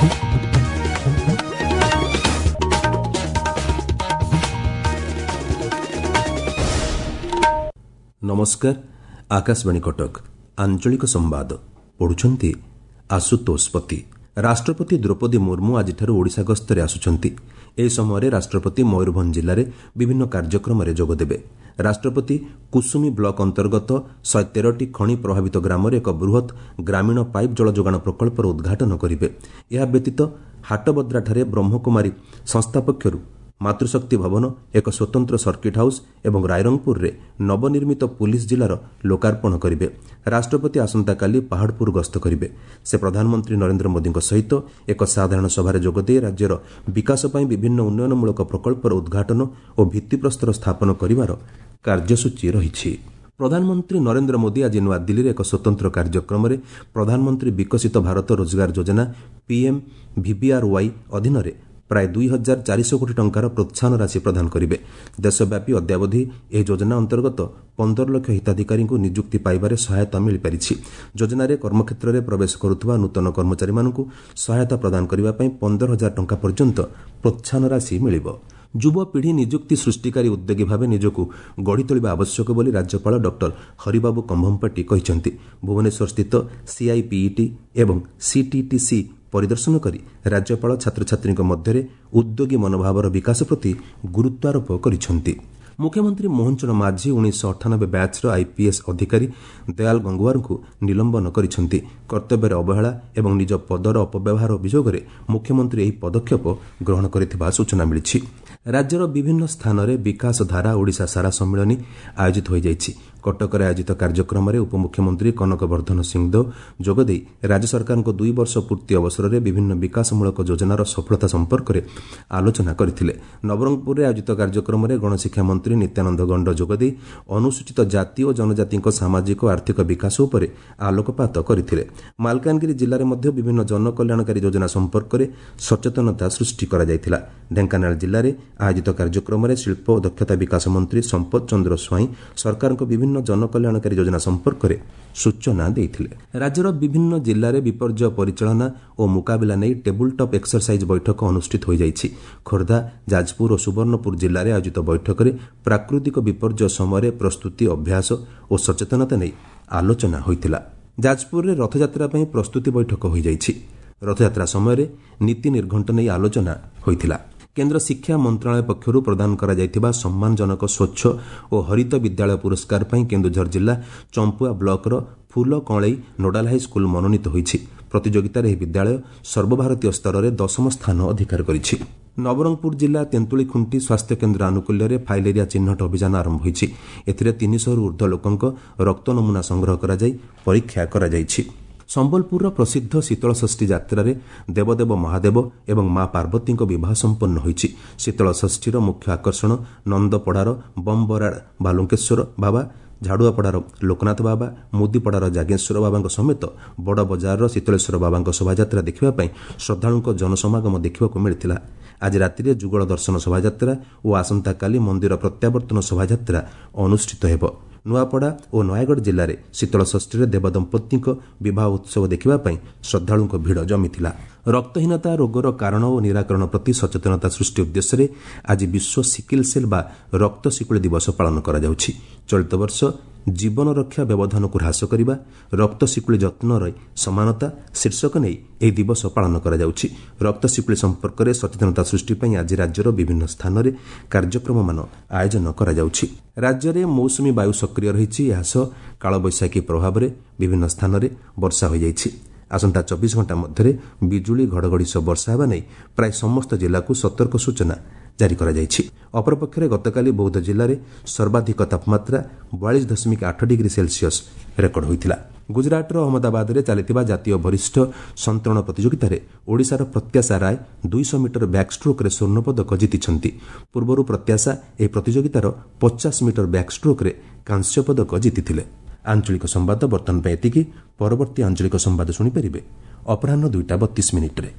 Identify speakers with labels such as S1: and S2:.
S1: ନମସ୍କାର, ଆକାଶବାଣୀ କଟକ, ଆଞ୍ଚଳିକ ସମ୍ବାଦ ପଢୁଛନ୍ତି ଆଶୁତୋଷ ପତି। ରାଷ୍ଟ୍ରପତି ଦ୍ରୌପଦୀ ମୁର୍ମୁ ଆଜିଠାରୁ ଓଡ଼ିଶା ଗସ୍ତରେ ଆସୁଛନ୍ତି। ଏହି ସମୟରେ ରାଷ୍ଟ୍ରପତି ମୟୂରଭଞ୍ଜ ଜିଲ୍ଲାରେ ବିଭିନ୍ନ କାର୍ଯ୍ୟକ୍ରମରେ ଯୋଗଦେବେ। ରାଷ୍ଟ୍ରପତି କୁସୁମୀ ବ୍ଲକ ଅନ୍ତର୍ଗତ 113ଟି ଖଣି ପ୍ରଭାବିତ ଗ୍ରାମରେ ଏକ ବୃହତ୍ ଗ୍ରାମୀଣ ପାଇପ୍ ଜଳ ଯୋଗାଣ ପ୍ରକଳ୍ପର ଉଦ୍ଘାଟନ କରିବେ। ଏହା ବ୍ୟତୀତ ହାଟବଦ୍ରାଠାରେ ବ୍ରହ୍ମକୁମାରୀ ସଂସ୍ଥା ପକ୍ଷରୁ ମାତୃଶକ୍ତି ଭବନ, ଏକ ସ୍ୱତନ୍ତ୍ର ସର୍କିଟ୍ ହାଉସ୍ ଏବଂ ରାଇରଙ୍ଗପୁରରେ ନବନିର୍ମିତ ପୁଲିସ୍ ଜିଲ୍ଲାର ଲୋକାର୍ପଣ କରିବେ। ରାଷ୍ଟ୍ରପତି ଆସନ୍ତାକାଲି ପାହାଡ଼ପୁର ଗସ୍ତ କରିବେ। ସେ ପ୍ରଧାନମନ୍ତ୍ରୀ ନରେନ୍ଦ୍ର ମୋଦିଙ୍କ ସହିତ ଏକ ସାଧାରଣ ସଭାରେ ଯୋଗଦେଇ ରାଜ୍ୟର ବିକାଶ ପାଇଁ ବିଭିନ୍ନ ଉନ୍ନୟନମୂଳକ ପ୍ରକଳ୍ପର ଉଦ୍ଘାଟନ ଓ ଭିତ୍ତିପ୍ରସ୍ତର ସ୍ଥାପନ କରିବାର କାର୍ଯ୍ୟସୂଚୀ ରହିଛି। ପ୍ରଧାନମନ୍ତ୍ରୀ ନରେନ୍ଦ୍ର ମୋଦି ଆଜି ନୂଆଦିଲ୍ଲୀରେ ଏକ ସ୍ୱତନ୍ତ୍ର କାର୍ଯ୍ୟକ୍ରମରେ ପ୍ରଧାନମନ୍ତ୍ରୀ ବିକଶିତ ଭାରତ ରୋଜଗାର ଯୋଜନା ପିଏମ୍ ଭିବିଆର୍ୱାଇ ଅଧୀନରେ ପ୍ରାୟ 2400 କୋଟି ଟଙ୍କାର ପ୍ରୋତ୍ସାହନ ରାଶି ପ୍ରଦାନ କରିବେ। ଦେଶବ୍ୟାପୀ ଅଦ୍ୟାବଧି ଏହି ଯୋଜନା ଅନ୍ତର୍ଗତ 15 ଲକ୍ଷ ହିତାଧିକାରୀଙ୍କୁ ନିଯୁକ୍ତି ପାଇବାରେ ସହାୟତା ମିଳିପାରିଛି। ଯୋଜନାରେ କର୍ମକ୍ଷେତ୍ରରେ ପ୍ରବେଶ କରୁଥିବା ନୂତନ କର୍ମଚାରୀମାନଙ୍କୁ ସହାୟତା ପ୍ରଦାନ କରିବା ପାଇଁ 15,000 ଟଙ୍କା ପର୍ଯ୍ୟନ୍ତ ପ୍ରୋତ୍ସାହନ ରାଶି ମିଳିବ। ଯୁବପିଢ଼ି ନିଯୁକ୍ତି ସୃଷ୍ଟିକାରୀ ଉଦ୍ୟୋଗୀ ଭାବେ ନିଜକୁ ଗଢ଼ି ତୋଳିବା ଆବଶ୍ୟକ ବୋଲି ରାଜ୍ୟପାଳ ଡକ୍ଟର ହରିବାବୁ କମ୍ଭମପାଟି କହିଛନ୍ତି। ଭୁବନେଶ୍ୱରସ୍ଥିତ ସିଆଇପିଇଟି ଏବଂ ସିଟିଟିସି ପରିଦର୍ଶନ କରି ରାଜ୍ୟପାଳ ଛାତ୍ରଛାତ୍ରୀଙ୍କ ମଧ୍ୟରେ ଉଦ୍ୟୋଗୀ ମନୋଭାବର ବିକାଶ ପ୍ରତି ଗୁରୁତ୍ୱାରୋପ କରିଛନ୍ତି। ମୁଖ୍ୟମନ୍ତ୍ରୀ ମୋହନ ଚରଣ ମାଝୀ 1998 ବ୍ୟାଚ୍ର ଆଇପିଏସ୍ ଅଧିକାରୀ ଦୟାଲ ଗଙ୍ଗୁଆରଙ୍କୁ ନିଲମ୍ବନ କରିଛନ୍ତି। କର୍ତ୍ତବ୍ୟରେ ଅବହେଳା ଏବଂ ନିଜ ପଦର ଅପବ୍ୟବହାର ଅଭିଯୋଗରେ ମୁଖ୍ୟମନ୍ତ୍ରୀ ଏହି ପଦକ୍ଷେପ ଗ୍ରହଣ କରିଥିବା ସୂଚନା ମିଳିଛି। ରାଜ୍ୟର ବିଭିନ୍ନ ସ୍ଥାନରେ ବିକାଶ ଧାରା ଓଡ଼ିଶା ସାରା ସମ୍ମିଳନୀ ଆୟୋଜିତ ହୋଇଯାଇଛି। କଟକରେ ଆୟୋଜିତ କାର୍ଯ୍ୟକ୍ରମରେ ଉପମୁଖ୍ୟମନ୍ତ୍ରୀ କନକ ବର୍ଦ୍ଧନ ସିଂଦେଓ ଯୋଗଦେଇ ରାଜ୍ୟ ସରକାରଙ୍କ 2 ବର୍ଷ ପୂର୍ତ୍ତି ଅବସରରେ ବିଭିନ୍ନ ବିକାଶମୂଳକ ଯୋଜନାର ସଫଳତା ସମ୍ପର୍କରେ ଆଲୋଚନା କରିଥିଲେ। ନବରଙ୍ଗପୁରରେ ଆୟୋଜିତ କାର୍ଯ୍ୟକ୍ରମରେ ଗଣଶିକ୍ଷା ମନ୍ତ୍ରୀ ନିତ୍ୟାନନ୍ଦ ଗଣ୍ଡ ଯୋଗଦେଇ ଅନୁସୂଚିତ ଜାତି ଓ ଜନଜାତିଙ୍କ ସାମାଜିକ ଆର୍ଥିକ ବିକାଶ ଉପରେ ଆଲୋକପାତ କରିଥିଲେ। ମାଲକାନଗିରି ଜିଲ୍ଲାରେ ମଧ୍ୟ ବିଭିନ୍ନ ଜନକଲ୍ୟାଣକାରୀ ଯୋଜନା ସମ୍ପର୍କରେ ସଚେତନତା ସୃଷ୍ଟି କରାଯାଇଥିଲା। ଢେଙ୍କାନାଳ ଜିଲ୍ଲାରେ ଆୟୋଜିତ କାର୍ଯ୍ୟକ୍ରମରେ ଶିଳ୍ପ ଓ ଦକ୍ଷତା ବିକାଶ ମନ୍ତ୍ରୀ ସମ୍ପଦ ଚନ୍ଦ୍ର ସ୍ୱାଇଁ ସରକାରଙ୍କ ବିଭିନ୍ନ ଜନକଲ୍ୟାଣକାରୀ ଯୋଜନା ସମ୍ପର୍କରେ ସୂଚନା ଦେଇଥିଲେ। ରାଜ୍ୟର ବିଭିନ୍ନ ଜିଲ୍ଲାରେ ବିପର୍ଯ୍ୟୟ ପରିଚାଳନା ଓ ମୁକାବିଲା ନେଇ ଟେବୁଲ୍ ଟପ୍ ଏକ୍ସରସାଇଜ୍ ବୈଠକ ଅନୁଷ୍ଠିତ ହୋଇଯାଇଛି। ଖୋର୍ଦ୍ଧା, ଯାଜପୁର ଓ ସୁବର୍ଣ୍ଣପୁର ଜିଲ୍ଲାରେ ଆୟୋଜିତ ବୈଠକରେ ପ୍ରାକୃତିକ ବିପର୍ଯ୍ୟୟ ସମୟରେ ପ୍ରସ୍ତୁତି, ଅଭ୍ୟାସ ଓ ସଚେତନତା ନେଇ ଆଲୋଚନା ହୋଇଥିଲା। ଯାଜପୁରରେ ରଥଯାତ୍ରା ପାଇଁ ପ୍ରସ୍ତୁତି ବୈଠକ ହୋଇଯାଇଛି। ରଥଯାତ୍ରା ସମୟରେ ନୀତି ନିର୍ଘଣ୍ଟ ନେଇ ଆଲୋଚନା ହୋଇଥିଲା। କେନ୍ଦ୍ର ଶିକ୍ଷା ମନ୍ତ୍ରଣାଳୟ ପକ୍ଷରୁ ପ୍ରଦାନ କରାଯାଇଥିବା ସମ୍ମାନଜନକ ସ୍ୱଚ୍ଛ ଓ ହରିତ ବିଦ୍ୟାଳୟ ପୁରସ୍କାର ପାଇଁ କେନ୍ଦୁଝର ଜିଲ୍ଲା ଚମ୍ପୁଆ ବ୍ଲକର ଫୁଲ କଅଁଳେଇ ନୋଡାଲ ହାଇସ୍କୁଲ ମନୋନୀତ ହୋଇଛି। ପ୍ରତିଯୋଗିତାରେ ଏହି ବିଦ୍ୟାଳୟ ସର୍ବଭାରତୀୟ ସ୍ତରରେ 10ମ ସ୍ଥାନ ଅଧିକାର କରିଛି। ନବରଙ୍ଗପୁର ଜିଲ୍ଲା ତେନ୍ତୁଳିଖୁଣ୍ଟି ସ୍ୱାସ୍ଥ୍ୟକେନ୍ଦ୍ର ଆନୁକୂଲ୍ୟରେ ଫାଇଲେରିଆ ଚିହ୍ନଟ ଅଭିଯାନ ଆରମ୍ଭ ହୋଇଛି। ଏଥିରେ 300ରୁ ଉର୍ଦ୍ଧ୍ୱ ଲୋକଙ୍କ ରକ୍ତ ନମୁନା ସଂଗ୍ରହ କରାଯାଇ ପରୀକ୍ଷା କରାଯାଇଛି। ସମ୍ବଲପୁରର ପ୍ରସିଦ୍ଧ ଶୀତଳଷଷ୍ଠୀ ଯାତ୍ରାରେ ଦେବଦେବ ମହାଦେବ ଏବଂ ମା ପାର୍ବତୀଙ୍କ ବିବାହ ସମ୍ପନ୍ନ ହୋଇଛି। ଶୀତଳଷଷ୍ଠୀର ମୁଖ୍ୟ ଆକର୍ଷଣ ନନ୍ଦପଡ଼ାର ବମ୍ବରାଡ଼ ବାଲୁଙ୍କେଶ୍ୱର ବାବା, ଝାଡ଼ୁଆପଡ଼ାର ଲୋକନାଥ ବାବା, ମୁଦିପଡ଼ାର ଜାଗେଶ୍ୱର ବାବାଙ୍କ ସମେତ ବଡ଼ ବଜାରର ଶୀତଳେଶ୍ୱର ବାବାଙ୍କ ଶୋଭାଯାତ୍ରା ଦେଖିବା ପାଇଁ ଶ୍ରଦ୍ଧାଳୁଙ୍କ ଜନସମାଗମ ଦେଖିବାକୁ ମିଳିଥିଲା। ଆଜି ରାତିରେ ଯୁଗଳ ଦର୍ଶନ ଶୋଭାଯାତ୍ରା ଓ ଆସନ୍ତାକାଲି ମନ୍ଦିର ପ୍ରତ୍ୟାବର୍ତ୍ତନ ଶୋଭାଯାତ୍ରା ଅନୁଷ୍ଠିତ ହେବ। ନୂଆପଡ଼ା ଓ ନୟାଗଡ଼ ଜିଲ୍ଲାରେ ଶୀତଳଷଷ୍ଠୀରେ ଦେବଦମ୍ପତିଙ୍କ ବିବାହ ଉତ୍ସବ ଦେଖିବା ପାଇଁ ଶ୍ରଦ୍ଧାଳୁଙ୍କ ଭିଡ଼ ଜମିଥିଲା। ରକ୍ତହୀନତା ରୋଗର କାରଣ ଓ ନିରାକରଣ ପ୍ରତି ସଚେତନତା ସୃଷ୍ଟି ଉଦ୍ଦେଶ୍ୟରେ ଆଜି ବିଶ୍ୱ ସିକିଲ୍ ସେଲ୍ ବା ରକ୍ତ ଶିକୁଳି ଦିବସ ପାଳନ କରାଯାଉଛି। ଚଳିତ ବର୍ଷ ଜୀବନ ରକ୍ଷା ବ୍ୟବଧାନକୁ ହ୍ରାସ କରିବା, ରକ୍ତ ଶିକୁଳି ଯତ୍ନରେ ସମାନତା ଶୀର୍ଷକ ନେଇ ଏହି ଦିବସ ପାଳନ କରାଯାଉଛି। ରକ୍ତ ଶିକୁଳି ସମ୍ପର୍କରେ ସଚେତନତା ସୃଷ୍ଟି ପାଇଁ ଆଜି ରାଜ୍ୟର ବିଭିନ୍ନ ସ୍ଥାନରେ କାର୍ଯ୍ୟକ୍ରମମାନ ଆୟୋଜନ କରାଯାଉଛି। ରାଜ୍ୟରେ ମୌସୁମୀ ବାୟୁ ସକ୍ରିୟ ରହିଛି। ଏହାସହ କାଳବୈଶାଖୀ ପ୍ରଭାବରେ ବିଭିନ୍ନ ସ୍ଥାନରେ ବର୍ଷା ହୋଇଯାଇଛି। ଆସନ୍ତା 24 ଘଣ୍ଟା ମଧ୍ୟରେ ବିଜୁଳି ଘଡ଼ଘଡ଼ି ସହ ବର୍ଷା ହେବା ନେଇ ପ୍ରାୟ ସମସ୍ତ ଜିଲ୍ଲାକୁ ସତର୍କ ସୂଚନା ଜାରି କରାଯାଇଛି। ଅପରପକ୍ଷରେ ଗତକାଲି ବୌଦ୍ଧ ଜିଲ୍ଲାରେ ସର୍ବାଧିକ ତାପମାତ୍ରା 42.8 ଡିଗ୍ରୀ ସେଲସିୟସ୍ ରେକର୍ଡ ହୋଇଥିଲା। ଗୁଜରାଟର ଅହମ୍ମଦାବାଦରେ ଚାଲିଥିବା ଜାତୀୟ ବରିଷ୍ଠ ସନ୍ତରଣ ପ୍ରତିଯୋଗିତାରେ ଓଡ଼ିଶାର ପ୍ରତ୍ୟାଶା ରାୟ 200 ମିଟର ବ୍ୟାକ୍ଷ୍ଟ୍ରୋକ୍ରେ ସ୍ୱର୍ଣ୍ଣପଦକ ଜିତିଛନ୍ତି। ପୂର୍ବରୁ ପ୍ରତ୍ୟାଶା ଏହି ପ୍ରତିଯୋଗିତାର 50 ମିଟର ବ୍ୟାକ୍ଷ୍ଟ୍ରୋକ୍ରେ କାଂସ୍ୟ ପଦକ ଜିତିଥିଲେ। ଆଞ୍ଚଳିକ ସମ୍ବାଦ ବର୍ତ୍ତମାନ ପାଇଁ ଏତିକି। ପରବର୍ତ୍ତୀ ଆଞ୍ଚଳିକ ସମ୍ବାଦ ଶୁଣିପାରିବେ ଅପରାହ୍ନ 2ଟା 32 ମିନିଟ୍ରେ।